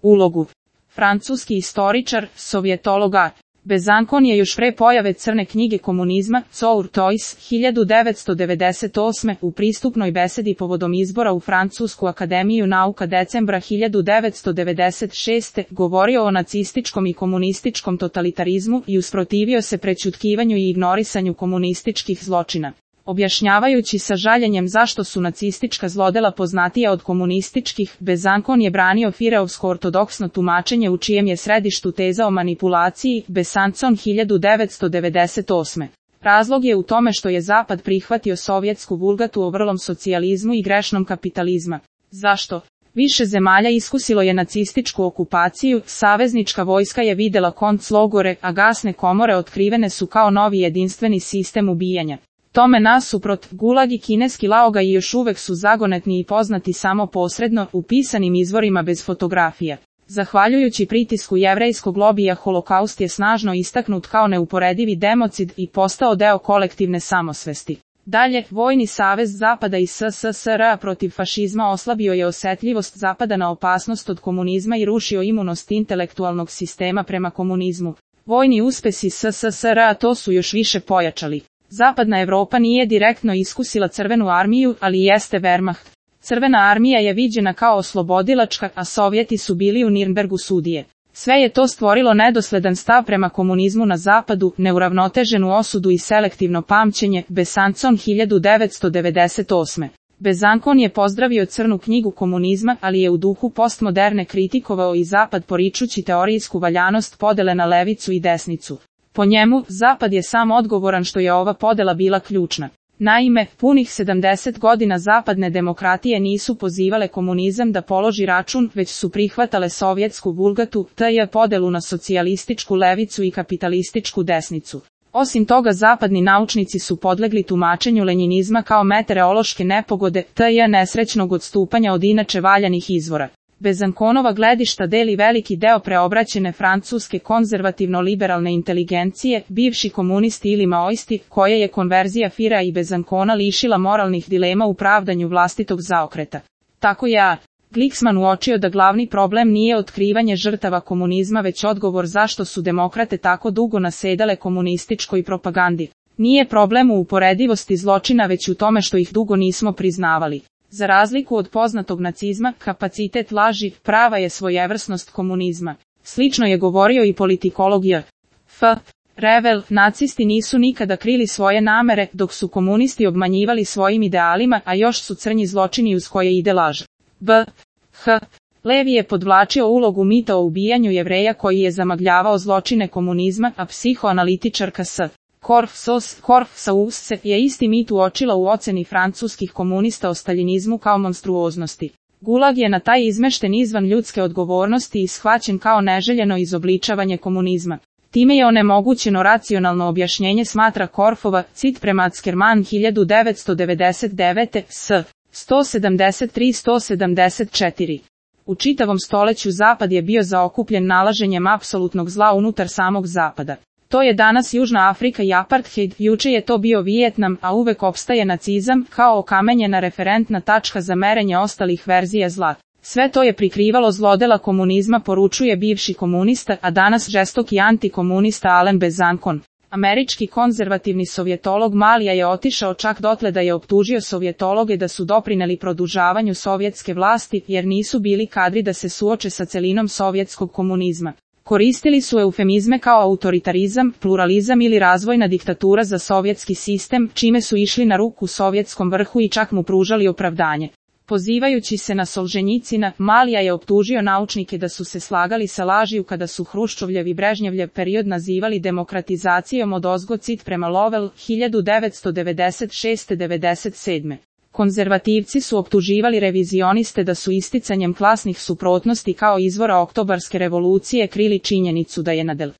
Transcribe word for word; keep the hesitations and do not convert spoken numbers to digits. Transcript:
Ulogu. Francuski istoričar, sovjetologa. Bezankon je još pre pojave crne knjige komunizma, Courtois, hiljadu devetsto devedeset osme. u pristupnoj besedi povodom izbora u Francusku akademiju nauka decembra hiljadu devetsto devedeset šeste. govorio o nacističkom i komunističkom totalitarizmu i usprotivio se prećutkivanju i ignorisanju komunističkih zločina. Objašnjavajući sa žaljenjem zašto su nacistička zlodela poznatija od komunističkih, Bezankon je branio Fireovsko ortodoksno tumačenje u čijem je središtu teza o manipulaciji, Besançon hiljadu devetsto devedeset osme. Razlog je u tome što je Zapad prihvatio sovjetsku vulgatu o vrlom socijalizmu i grešnom kapitalizma. Zašto? Više zemalja iskusilo je nacističku okupaciju, saveznička vojska je videla konclogore, a gasne komore otkrivene su kao novi jedinstveni sistem ubijanja. Tome nasuprot, Gulag i kineski Laoga i još uvek su zagonetni i poznati samo posredno, u pisanim izvorima bez fotografija. Zahvaljujući pritisku jevrejskog lobija holokaust je snažno istaknut kao neuporedivi democid i postao deo kolektivne samosvesti. Dalje, vojni savez Zapada i S S S R protiv fašizma oslabio je osetljivost Zapada na opasnost od komunizma i rušio imunost intelektualnog sistema prema komunizmu. Vojni uspesi S S S R to su još više pojačali. Zapadna Evropa nije direktno iskusila crvenu armiju, ali jeste Wehrmacht. Crvena armija je viđena kao oslobodilačka, a Sovjeti su bili u Nirnbergu sudije. Sve je to stvorilo nedosledan stav prema komunizmu na Zapadu, neuravnoteženu osudu i selektivno pamćenje, Besançon hiljadu devetsto devedeset osme. Bezankon je pozdravio crnu knjigu komunizma, ali je u duhu postmoderne kritikovao i Zapad poričući teorijsku valjanost podele na levicu i desnicu. Po njemu, Zapad je sam odgovoran što je ova podela bila ključna. Naime, punih sedamdeset godina zapadne demokratije nisu pozivale komunizam da položi račun, već su prihvatale sovjetsku vulgatu, te je podelu na socijalističku levicu i kapitalističku desnicu. Osim toga, zapadni naučnici su podlegli tumačenju lenjinizma kao meteorološke nepogode, te je nesrećnog odstupanja od inače valjanih izvora. Bezankonova gledišta deli veliki deo preobraćene francuske konzervativno-liberalne inteligencije, bivši komunisti ili maoisti, koje je konverzija Fira i Bezankona lišila moralnih dilema u pravdanju vlastitog zaokreta. Tako je A. Glicksman uočio da glavni problem nije otkrivanje žrtava komunizma već odgovor zašto su demokrate tako dugo nasedale komunističkoj propagandi. Nije problem u uporedivosti zločina već u tome što ih dugo nismo priznavali. Za razliku od poznatog nacizma, kapacitet laži, prava je svojevrsnost komunizma. Slično je govorio i politikolog J. F. Revel, nacisti nisu nikada krili svoje namere, dok su komunisti obmanjivali svojim idealima, a još su crnji zločini uz koje ide laž. B. H. Levi je podvlačio ulogu mita o ubijanju Jevreja koji je zamagljavao zločine komunizma, a psihoanalitičarka S. Korfsos, Korfsaus je isti mit uočila u oceni francuskih komunista o staljinizmu kao monstruoznosti. Gulag je na taj izmešten izvan ljudske odgovornosti i shvaćen kao neželjeno izobličavanje komunizma. Time je onemogućeno racionalno objašnjenje, smatra Korfova, cit prema Ackerman hiljadu devetsto devedeset devete. S. sto sedamdeset tri do sto sedamdeset četiri. U čitavom stoleću Zapad je bio zaokupljen nalaženjem apsolutnog zla unutar samog Zapada. To je danas Južna Afrika i apartheid, juče je to bio Vijetnam, a uvek opstaje nacizam, kao okamenjena referentna tačka za merenje ostalih verzija zla. Sve to je prikrivalo zlodela komunizma, poručuje bivši komunista, a danas žestoki antikomunista Alen Bezankon. Američki konzervativni sovjetolog Malija je otišao čak dotle da je optužio sovjetologe da su doprineli produžavanju sovjetske vlasti, jer nisu bili kadri da se suoče sa celinom sovjetskog komunizma. Koristili su eufemizme kao autoritarizam, pluralizam ili razvojna diktatura za sovjetski sistem, čime su išli na ruku sovjetskom vrhu i čak mu pružali opravdanje. Pozivajući se na Solženjicina, Malija je optužio naučnike da su se slagali sa lažiju kada su Hruščovljev i Brežnjevljev period nazivali demokratizacijom odozgo, cit prema Lovel, hiljadu devetsto devedeset šeste do devedeset sedme. Konzervativci su optuživali revizioniste da su isticanjem klasnih suprotnosti kao izvora oktobarske revolucije krili činjenicu da je na del